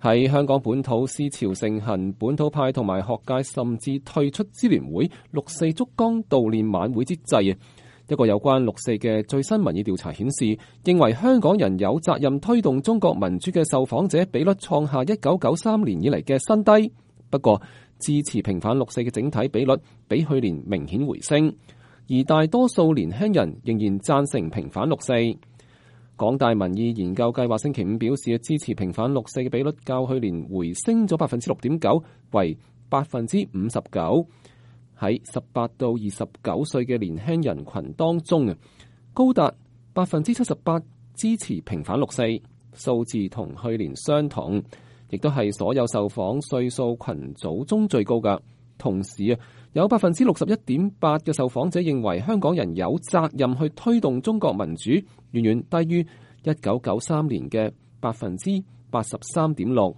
喺香港本土思潮盛行，本土派同埋學界甚至退出支聯會六四燭光悼念晚會之際，一個有關六四嘅最新民意調查顯示，認為香港人有責任推動中國民主嘅受訪者比率創下1993年以嚟嘅新低。不過，支持平反六四嘅整體比率比去年明顯回升，而大多數年輕人仍然贊成平反六四。港大民意研究計劃星期五表示，支持平反六四嘅比率較去年回升咗6.9%，為59%。喺18到29歲嘅年輕人群當中，高達78%支持平反六四，數字同去年相同，亦都係所有受訪歲數群組中最高㗎。同時有61.8%嘅受訪者認為香港人有責任去推動中國民主，遠遠低於1993年嘅83.6%。